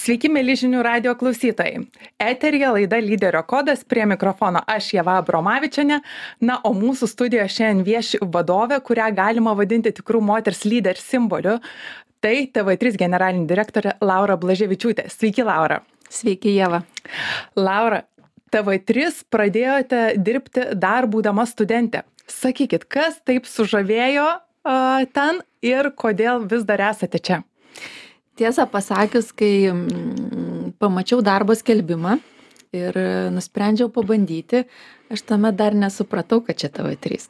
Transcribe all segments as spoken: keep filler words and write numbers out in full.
Sveiki, mėly žinių radio klausytojai. Eteryje laida Lyderio kodas, prie mikrofono aš Ieva Abromavičienė. Na, o mūsų studijoje šiandien vieši vadovė, kurią galima vadinti tikrų moters lyder simboliu. Tai T V trys generalinė direktorė Laura Blaževičiūtė. Sveiki, Laura. Sveiki, Ieva. Laura, T V trys pradėjote dirbti dar būdama studentė. Sakykit, kas taip sužavėjo uh, ten ir kodėl vis dar esate čia? Tiesą pasakius, kai mm, pamačiau darbo skelbimą ir nusprendžiau pabandyti, aš tame dar nesupratau, kad čia T V trys.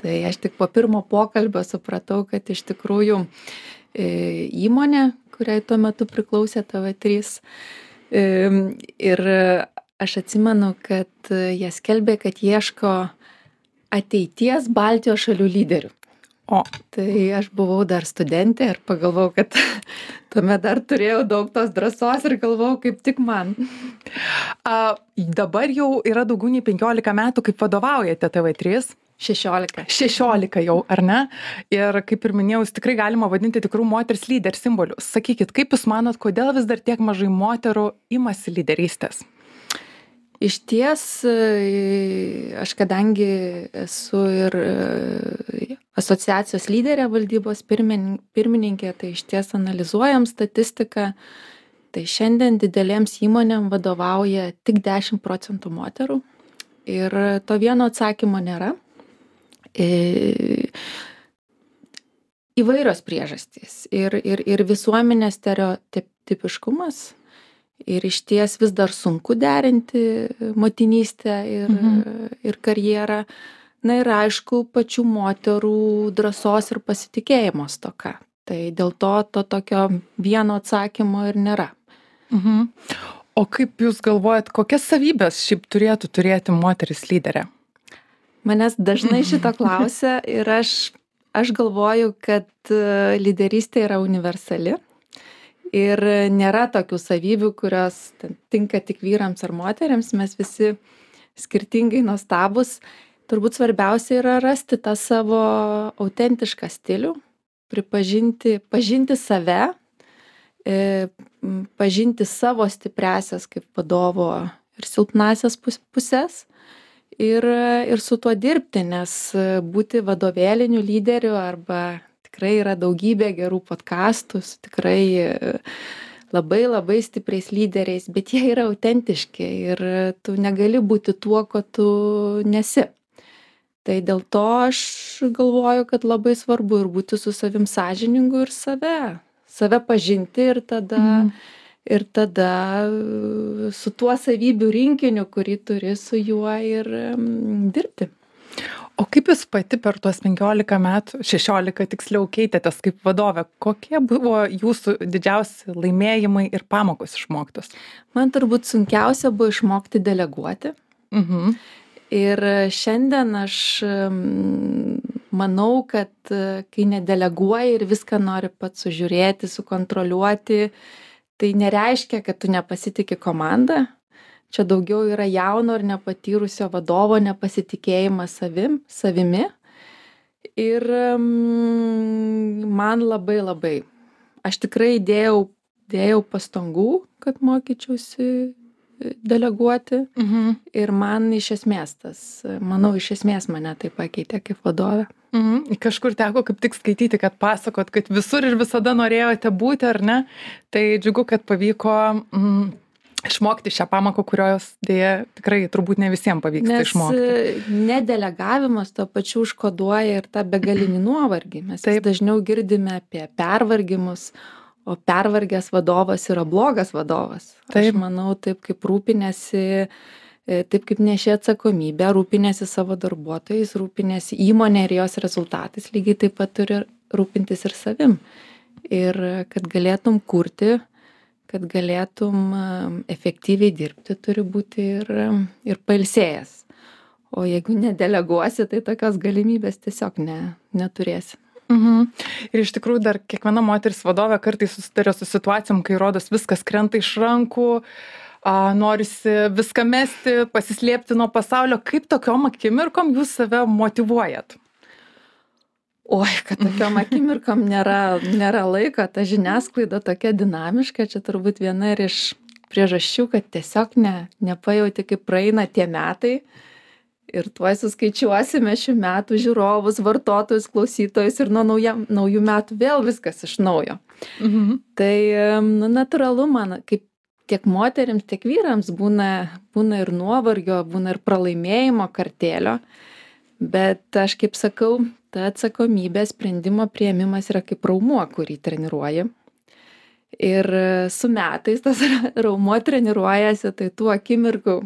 Tai aš tik po pirmo pokalbio supratau, kad iš tikrųjų e, įmonė, kuriai tuo metu priklausė T V trys. E, ir aš atsimenu, kad jie skelbė, kad ieško ateities Baltijos šalių lyderių. O, tai aš buvau dar studentė ir pagalvojau, kad tuomet dar turėjau daug tos drąsos ir galvojau, kaip tik man. A, dabar jau yra daugiau nei penkiolika metų, kaip vadovaujate T V trys. šešiolika. šešiolika jau, ar ne? Ir kaip ir minėjau, jūs tikrai galima vadinti tikrų moters lyder simboliu. Sakykit, kaip jūs manot, kodėl vis dar tiek mažai moterų imasi lyderystės? Iš ties, aš kadangi esu ir asociacijos lyderė valdybos pirmininkė, tai iš ties analizuojam statistiką, tai šiandien didelėms įmonėm vadovauja tik dešimt procentų moterų ir to vieno atsakymo nėra. Įvairios priežastys ir, ir, ir visuomenės stereotipiškumas. Ir iš ties vis dar sunku derinti motinystę ir, mhm. ir karjerą. Na ir aišku, pačių moterų drąsos ir pasitikėjimo stoka. Tai dėl to to tokio vieno atsakymo ir nėra. Mhm. O kaip jūs galvojat, kokias savybės šiaip turėtų turėti moteris lyderė? Manęs dažnai šito klausia ir aš, aš galvoju, kad lyderystė yra universali. Ir nėra tokių savybių, kurios tinka tik vyrams ar moteriams, mes visi skirtingai nuostabus. Turbūt svarbiausia yra rasti tą savo autentišką stilių, pripažinti, pažinti save, pažinti savo stipriasias kaip vadovo ir silpnasias pusės ir, ir su tuo dirbti, nes būti vadovėliniu lyderiu arba tikrai yra daugybė gerų podkastų, tikrai labai labai stipriais lyderiais, bet jie yra autentiški ir tu negali būti tuo, ko tu nesi. Tai dėl to aš galvoju, kad labai svarbu ir būti su savim sąžiningu ir save, save pažinti ir tada, mm. ir tada su tuo savybių rinkiniu, kurį turi, su juo ir um, dirbti. O kaip jūs pati per tuos penkiolika metų, šešiolika tiksliau keitėtės kaip vadovė? Kokie buvo jūsų didžiausi laimėjimai ir pamokos išmoktos? Man turbūt sunkiausia buvo išmokti deleguoti. Mhm. Ir šiandien aš manau, kad kai nedeleguoji ir viską nori pats sužiūrėti, sukontroliuoti, tai nereiškia, kad tu nepasitiki komandą. Čia daugiau yra jauno ir nepatyrusio vadovo nepasitikėjimas savim, savimi. Ir um, man labai labai. Aš tikrai dėjau, dėjau pastangų, kad mokyčiausi deleguoti. Mhm. Ir man iš esmės tas, manau, iš esmės mane tai pakeitė kaip vadovė. Mhm. Kažkur teko kaip tik skaityti, kad pasakot, kad visur ir visada norėjote būti, ar ne? Tai džiugu, kad pavyko... Mm, išmokti šią pamoką, kurios dėja tikrai turbūt ne visiems pavyksta Nes išmokti. Nes nedelegavimas to pačiu užkoduoja ir tą begalinį nuovargį. Mes taip dažniau girdime apie pervargimus, o pervargęs vadovas yra blogas vadovas. Taip. Aš manau, taip kaip rūpinėsi, taip kaip nešė atsakomybę, rūpinėsi savo darbuotojais, rūpinėsi įmonė ir jos rezultatais, lygiai taip pat turi rūpintis ir savim. Ir kad galėtum kurti, kad galėtum efektyviai dirbti, turi būti ir, ir pailsėjęs. O jeigu nedeleguosi, tai tokios galimybės tiesiog ne, neturėsi. Mhm. Ir iš tikrųjų dar kiekviena moteris vadovė kartais susiduria su situacijom, kai rodos viskas krenta iš rankų, a, norisi viską mesti, pasislėpti nuo pasaulio. Kaip tokiom akimirkom jūs save motyvuojat? Oi, kad tokiom akimirkom nėra, nėra laiko, ta žiniasklaida tokia dinamiška, čia turbūt viena ir iš priežasčių, kad tiesiog ne, nepajauti, kaip praeina tie metai ir tuoj suskaičiuosime šių metų žiūrovus, vartotojus, klausytojus ir nuo nauja, naujų metų vėl viskas iš naujo. Mhm. Tai nu, natūralu man, kaip tiek moterims, tiek vyrams būna, būna ir nuovargio, būna ir pralaimėjimo kartėlio, bet aš kaip sakau, ta atsakomybė, sprendimo priėmimas yra kaip raumuo, kurį treniruoji. Ir su metais tas raumuo treniruojasi, tai tų akimirkų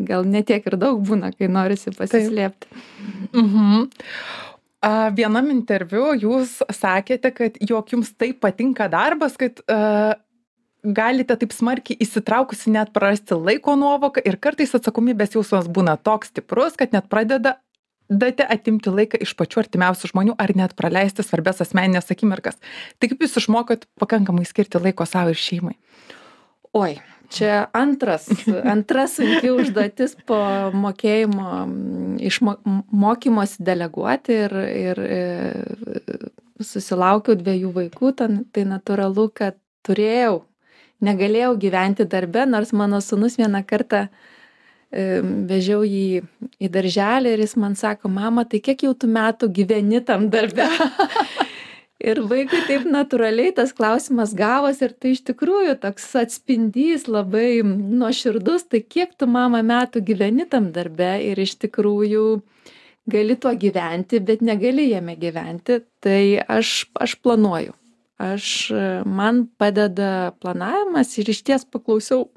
gal netiek ir daug būna, kai norisi pasislėpti. Mhm. A, vienam interviu jūs sakėte, kad jog jums taip patinka darbas, kad a, galite taip smarkiai įsitraukusi net prarasti laiko nuovoką ir kartais atsakomybės jausmas būna toks stiprus, kad net pradeda date atimti laiką iš pačių artimiausių žmonių ar net praleisti svarbias asmeninės akimirkas. Tai kaip jūs išmokot pakankamai skirti laiko savo ir šeimai? Oi, čia antras, antras sunki užduotis po mokėjimo, iš mokymosi deleguoti ir, ir susilaukiau dviejų vaikų, tai natūralu, kad turėjau, negalėjau gyventi darbe, nors mano sūnus vieną kartą vežiau jį į darželį ir jis man sako, mama, tai kiek jau tu metų gyveni tam darbe? Ir vaikui taip natūraliai tas klausimas gavos ir tai iš tikrųjų toks atspindys labai nuoširdus, tai kiek tu, mama, metų gyveni tam darbe ir iš tikrųjų gali tuo gyventi, bet negali jame gyventi, tai aš, aš planuoju. Aš, man padeda planavimas ir išties paklausiau.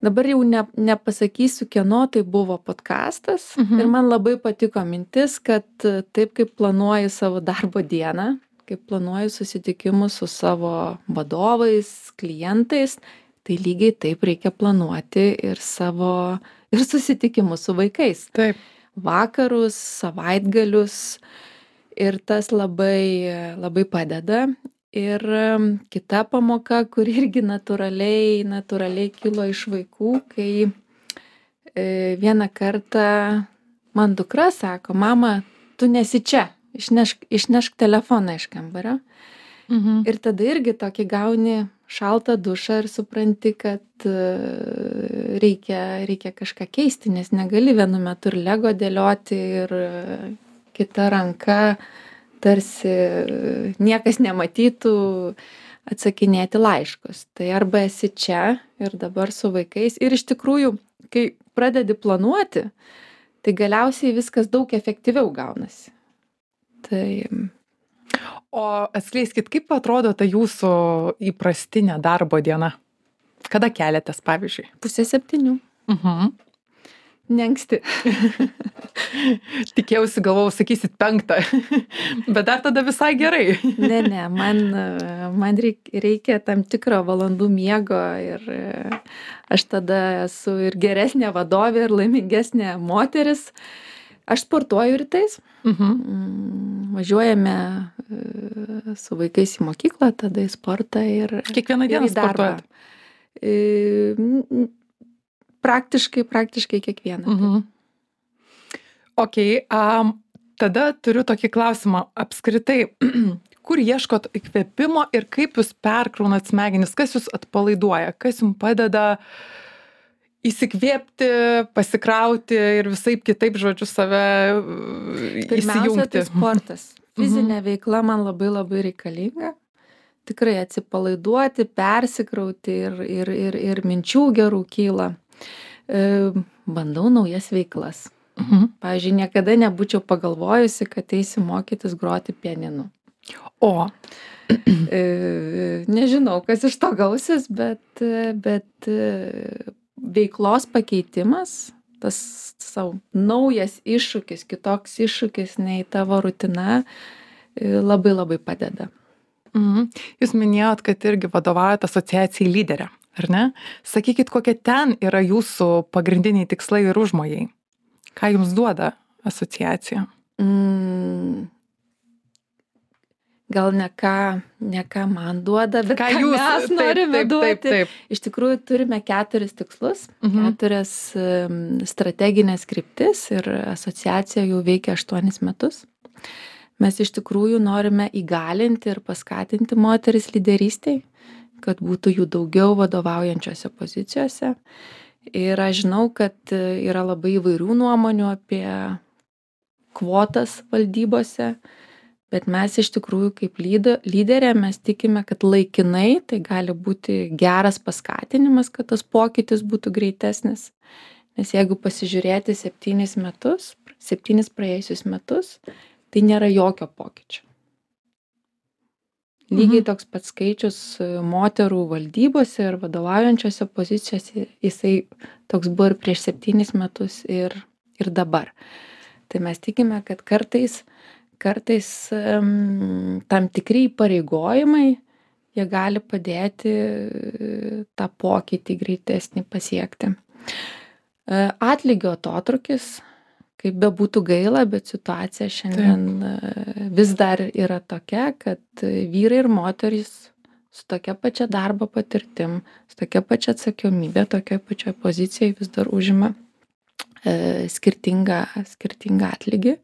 Dabar jau ne, nepasakysiu, kieno tai buvo podcastas. Mhm. Ir man labai patiko mintis, kad taip kaip planuoju savo darbo dieną, kaip planuoju susitikimus su savo vadovais, klientais, tai lygiai taip reikia planuoti ir savo, ir susitikimus su vaikais. Taip. Vakarus, savaitgalius ir tas labai, labai padeda. Ir kita pamoka, kuri irgi natūraliai, natūraliai kilo iš vaikų, kai e, vieną kartą man dukra sako, mama, tu nesi čia, išnešk, išnešk telefoną iš kambario. Mhm. Ir tada irgi tokį gauni šaltą dušą ir supranti, kad e, reikia, reikia kažką keisti, nes negali vienu metu ir lego dėlioti ir e, kita ranka tarsi niekas nematytų atsakinėti laiškus. Tai arba esi čia ir dabar su vaikais. Ir iš tikrųjų, kai pradedi planuoti, tai galiausiai viskas daug efektyviau gaunasi. Tai... O atskleiskit, kaip atrodo ta jūsų įprastinė darbo diena? Kada keliatės, pavyzdžiui? Pusė septynių. Mhm. Neanksti. Tikėjausi, galvojau, sakysit penktą, bet dar tada visai gerai. Ne, ne, man, man reikia tam tikro valandų miego ir aš tada esu ir geresnė vadovė, ir laimingesnė moteris. Aš sportuoju rytais, mhm. Važiuojame su vaikais į mokyklą, tada į sportą ir kiekvieną dieną sportuojat? Praktiškai, praktiškai kiekvieną. Mhm. Ok, um, tada turiu tokį klausimą. Apskritai, kur ieškot įkvėpimo ir kaip jūs perkraunat smegenis, kas jūs atpalaiduoja, kas jums padeda įsikvėpti, pasikrauti ir visaip kitaip, žodžiu, save įsijungti? Pirmiausia, tai sportas. Fizinė mhm. veikla man labai labai reikalinga. Tikrai atsipalaiduoti, persikrauti ir, ir, ir, ir minčių gerų kyla. Bandau naujas veiklas. Mhm. Pavyzdžiui, niekada nebūčiau pagalvojusi, kad eisiu mokytis groti pianinu. O. Nežinau, kas iš to gausis, bet, bet veiklos pakeitimas, tas savo naujas iššūkis, kitoks iššūkis nei tavo rutina, labai labai padeda. Mhm. Jūs minėjot, kad irgi vadovaujate asociacijai Lyderė. Ar ne? Sakykit, kokie ten yra jūsų pagrindiniai tikslai ir užmojai? Ką jums duoda asociacija? Mm. gal ne ką, ne ką man duoda, bet ką, ką jūs, mes taip, norime taip, duoti. taip, taip. Iš tikrųjų turime keturis tikslus, Mhm. keturias um, strateginės kryptis ir asociacija jau veikia aštuonis metus. Mes iš tikrųjų norime įgalinti ir paskatinti moteris lyderystėj, kad būtų jų daugiau vadovaujančiose pozicijose. Ir aš žinau, kad yra labai įvairių nuomonių apie kvotas valdybose, bet mes iš tikrųjų kaip lyderė mes tikime, kad laikinai tai gali būti geras paskatinimas, kad tas pokytis būtų greitesnis. Nes jeigu pasižiūrėti septynis metus, septynis praėjusius metus, tai nėra jokio pokyčio. Lygiai Mhm. toks pats skaičius moterų valdybose ir vadovaujančiose pozicijose, jisai toks buvo ir prieš septynis metus ir, ir dabar. Tai mes tikime, kad kartais, kartais um, tam tikri įpareigojimai, jie gali padėti tą pokytį greitesnį pasiekti. Atlygio atotrūkis, kaip bebūtų gaila, bet situacija šiandien Taip. vis dar yra tokia, kad vyrai ir moterys su tokia pačia darbo patirtim, su tokia pačia atsakomybė, tokia pačia pozicija vis dar užima e, skirtingą, skirtingą atlygį.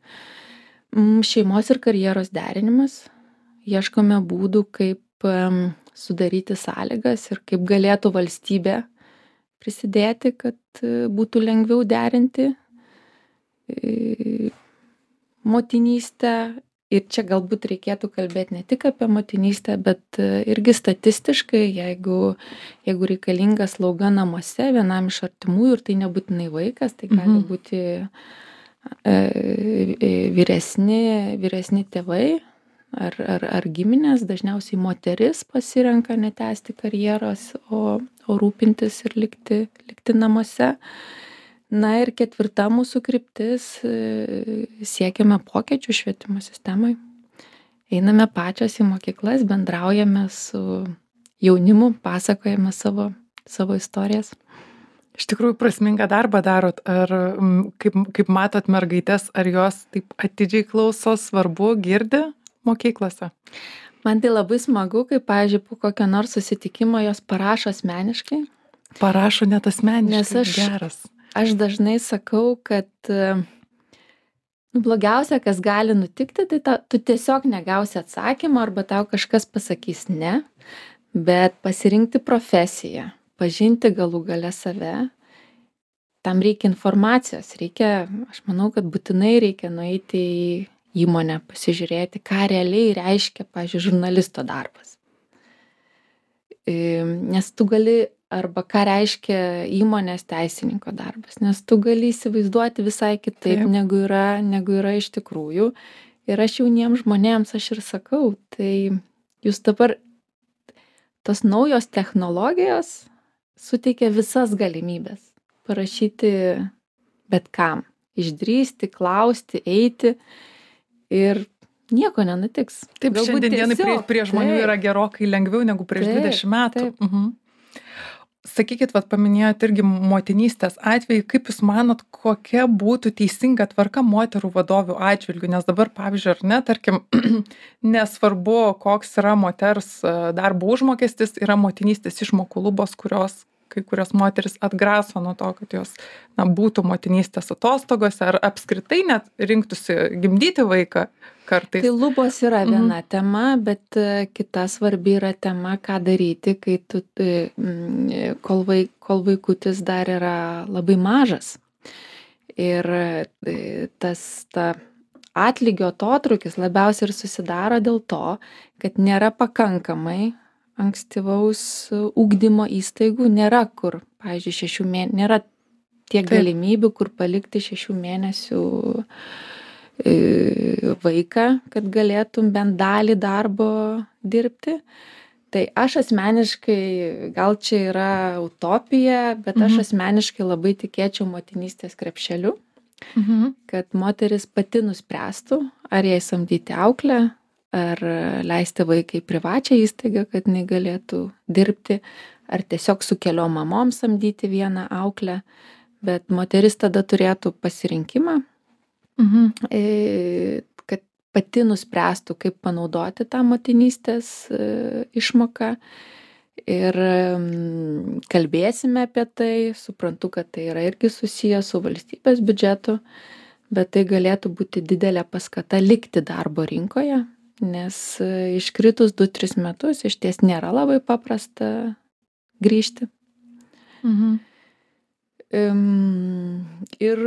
Šeimos ir karjeros derinimas. Ieškome būdų, kaip e, sudaryti sąlygas ir kaip galėtų valstybė prisidėti, kad būtų lengviau derinti motinystę. Ir čia galbūt reikėtų kalbėti ne tik apie motinystę, bet irgi statistiškai, jeigu, jeigu reikalinga slauga namuose vienam iš artimųjų, ir tai nebūtinai vaikas, tai gali Mhm. būti e, vyresni, vyresni tėvai ar, ar, ar giminės, dažniausiai moteris pasirenka netęsti karjeros, o, o rūpintis ir likti, likti namuose. Na ir ketvirta mūsų kryptis, siekiame pokyčių švietimo sistemai. Einame pačios į mokyklas, bendraujame su jaunimu, pasakojame savo, savo istorijas. Iš tikrųjų prasmingą darbą darot, ar kaip, kaip matot mergaitės, ar jos taip atidžiai klauso, svarbu, girdi mokyklose? Man tai labai smagu, kai, pavyzdžiui, po kokio nors susitikimo jos parašo asmeniškai. Parašo net asmeniškai, Nes aš, geras. Aš dažnai sakau, kad nu, blogiausia, kas gali nutikti, tai ta, tu tiesiog negausi atsakymą arba tau kažkas pasakys ne, bet pasirinkti profesiją, pažinti galų gale save, tam reikia informacijos, reikia, aš manau, kad būtinai reikia nueiti į įmonę, pasižiūrėti, ką realiai reiškia, pavyzdžiui, žurnalisto darbas. Nes tu gali arba ką reiškia įmonės teisininko darbas, nes tu gali įsivaizduoti visai kitaip, Taip. negu yra, negu yra iš tikrųjų. Ir aš jauniems žmonėms aš ir sakau, tai jūs dabar tos naujos technologijos suteikia visas galimybės parašyti bet kam, išdrįsti, klausti, eiti ir nieko nenutiks. Taip, Galbūt šiandien dienai prie, tiesiog, prie žmonių taip. yra gerokai lengviau negu prieš Taip, dvidešimt metų. taip. Mhm. Sakykit, vat paminėjot irgi motinystės atvejį, kaip jūs manot, kokia būtų teisinga tvarka moterų vadovių atžvilgių, nes dabar, pavyzdžiui, ar ne, tarkim, nesvarbu, koks yra moters darbo užmokestis, yra motinystės išmokų lubos, kurios kai kurios moteris atgraso nuo to, kad jos na, būtų motinystės atostogose ar apskritai net rinktųsi gimdyti vaiką kartais. Tai lubos yra viena mhm. tema, bet kita svarbi yra tema, ką daryti, kai tu, kol, vaik, kol vaikutis dar yra labai mažas. Ir tas ta atlygio atotrūkis labiausiai ir susidaro dėl to, kad nėra pakankamai ankstyvaus ugdymo įstaigų, nėra kur, pavyzdžiui, šešių mėnesių, nėra tiek Taip. galimybių, kur palikti šešių mėnesių vaiką, kad galėtum bent dalį darbo dirbti. Tai aš asmeniškai, gal čia yra utopija, bet mhm. aš asmeniškai labai tikėčiau motinystės krepšeliu, mhm. kad moteris pati nuspręstų, ar jai samdyti auklę, ar leisti vaikai privačią įstaigą, kad jinai galėtų dirbti, ar tiesiog su keliom mamom samdyti vieną auklę, bet moteris tada turėtų pasirinkimą, mhm. kad pati nuspręstų, kaip panaudoti tą motinystės išmoką. Ir kalbėsime apie tai, suprantu, kad tai yra irgi susiję su valstybės biudžetu, bet tai galėtų būti didelė paskata likti darbo rinkoje, nes iškritus du tris metus iš ties nėra labai paprasta grįžti. Mhm. Ir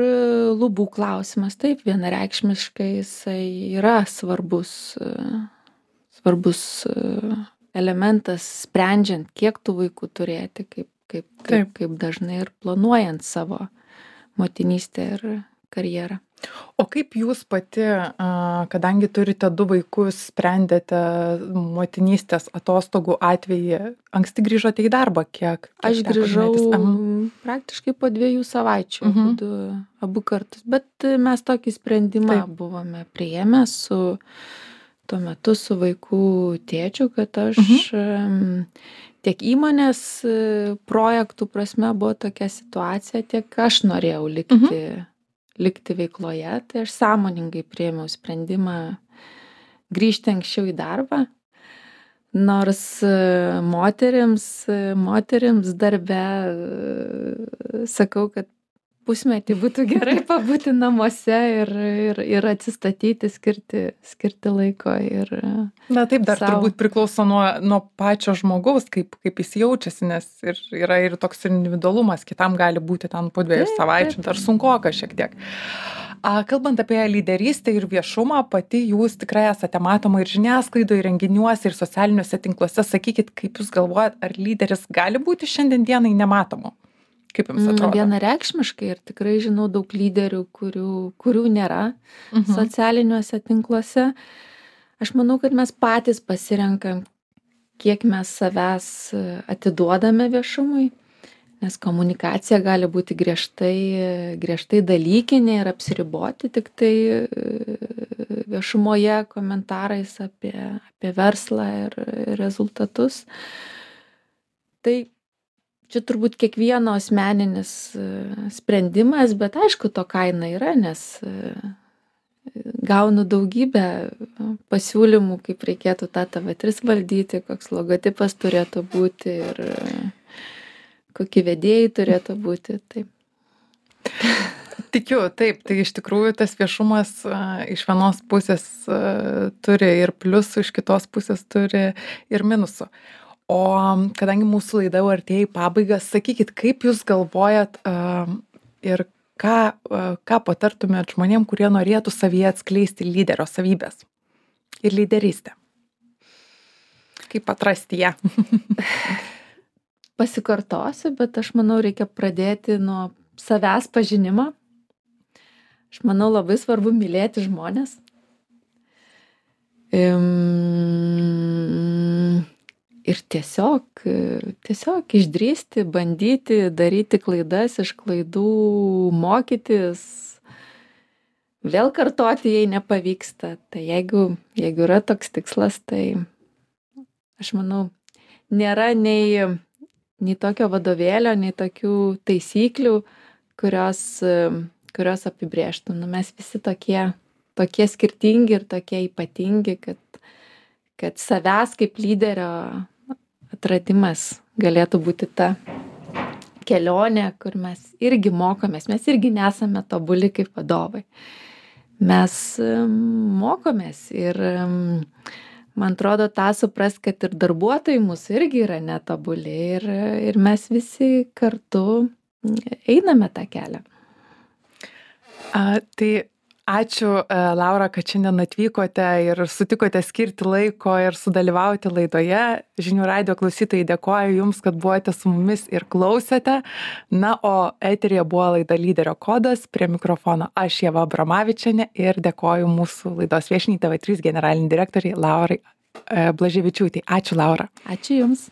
lubų klausimas, taip, vienareikšmiškai jisai yra svarbus, svarbus elementas, sprendžiant, kiek tų vaikų turėti, kaip, kaip, kaip, kaip dažnai ir planuojant savo motinystę ir karjerą. O kaip jūs pati, kadangi turite du vaikus, sprendėte motinystės atostogų atvejį, anksti grįžote į darbą, kiek? kiek Aš grįžau praktiškai po dviejų savaičių, uh-huh. du, abu kartus, bet mes tokį sprendimą Taip. buvome priėmę su tuo metu su vaikų tėčiu, kad aš uh-huh. tiek įmonės projektų prasme buvo tokia situacija, tiek aš norėjau likti uh-huh. likti veikloje, tai aš sąmoningai priėmiau sprendimą grįžti anksčiau į darbą, nors moterims, moterims darbe sakau, kad pusmetį būtų gerai pabūti namuose ir, ir, ir atsistatyti, skirti, skirti laiko. Ir Na taip, dar sau. Turbūt priklauso nuo, nuo pačio žmogaus, kaip, kaip jis jaučiasi, nes ir, yra ir toks individualumas, kitam gali būti ten po dviejų taip, savaičių, taip. Dar sunkoka šiek tiek. A, kalbant apie lyderystę ir viešumą, pati jūs tikrai esate matoma ir žiniasklaidoje, renginiuose, ir socialiniuose tinkluose. Sakykit, kaip jūs galvojat, ar lyderis gali būti šiandien dienai nematomu? Kaip jums atrodo? Vienareikšmiškai ir tikrai žinau daug lyderių, kurių, kurių nėra uh-huh. socialiniuose tinkluose. Aš manau, kad mes patys pasirenkam, kiek mes savęs atiduodame viešumui, nes komunikacija gali būti griežtai, griežtai dalykinė ir apsiriboti tik tai viešumoje komentarais apie, apie verslą ir rezultatus. Tai čia turbūt kiekvieno asmeninis sprendimas, bet aišku, to kaina yra, nes gaunu daugybę pasiūlymų, kaip reikėtų tą T V trys valdyti, koks logotipas turėtų būti ir kokie vedėjai turėtų būti. Taip. Tikiu, taip, tai iš tikrųjų tas viešumas iš vienos pusės turi ir pliusų, iš kitos pusės turi ir minusų. O kadangi mūsų laida jau artėja į pabaigą, sakykit, kaip jūs galvojat uh, ir ką, uh, ką patartumėt žmonėm, kurie norėtų savyje atskleisti lyderio savybės ir lyderystę? Kaip atrasti ją? Pasikartosiu, bet aš manau, reikia pradėti nuo savęs pažinimo. Aš manau, labai svarbu mylėti žmones. Um, Ir tiesiog, tiesiog išdrįsti, bandyti, daryti klaidas, iš klaidų mokytis, vėl kartoti, jei nepavyksta. Tai jeigu, jeigu yra toks tikslas, tai aš manau, nėra nei, nei tokio vadovėlio, nei tokių taisyklių, kurios, kurios apibrėžtų. Nu, mes visi tokie, tokie skirtingi ir tokie ypatingi, kad, kad savęs kaip lyderio atradimas galėtų būti ta kelionė, kur mes irgi mokomės, mes irgi nesame tobuli kaip vadovai. Mes mokomės ir man atrodo tą suprast, kad ir darbuotojai mūsų irgi yra netobuli ir, ir mes visi kartu einame tą kelią. A, tai ačiū, Laura, kad šiandien atvykote ir sutikote skirti laiko ir sudalyvauti laidoje. Žinių radijo klausytojai, dėkoju Jums, kad buvote su mumis ir klausėte. Na, o eteryje buvo laida Lyderio kodas. Prie mikrofono aš, Ieva Abromavičienė, ir dėkoju mūsų laidos viešniai T V trys generaliniai direktoriai Laurai Blaževičiūtei. Ačiū, Laura. Ačiū Jums.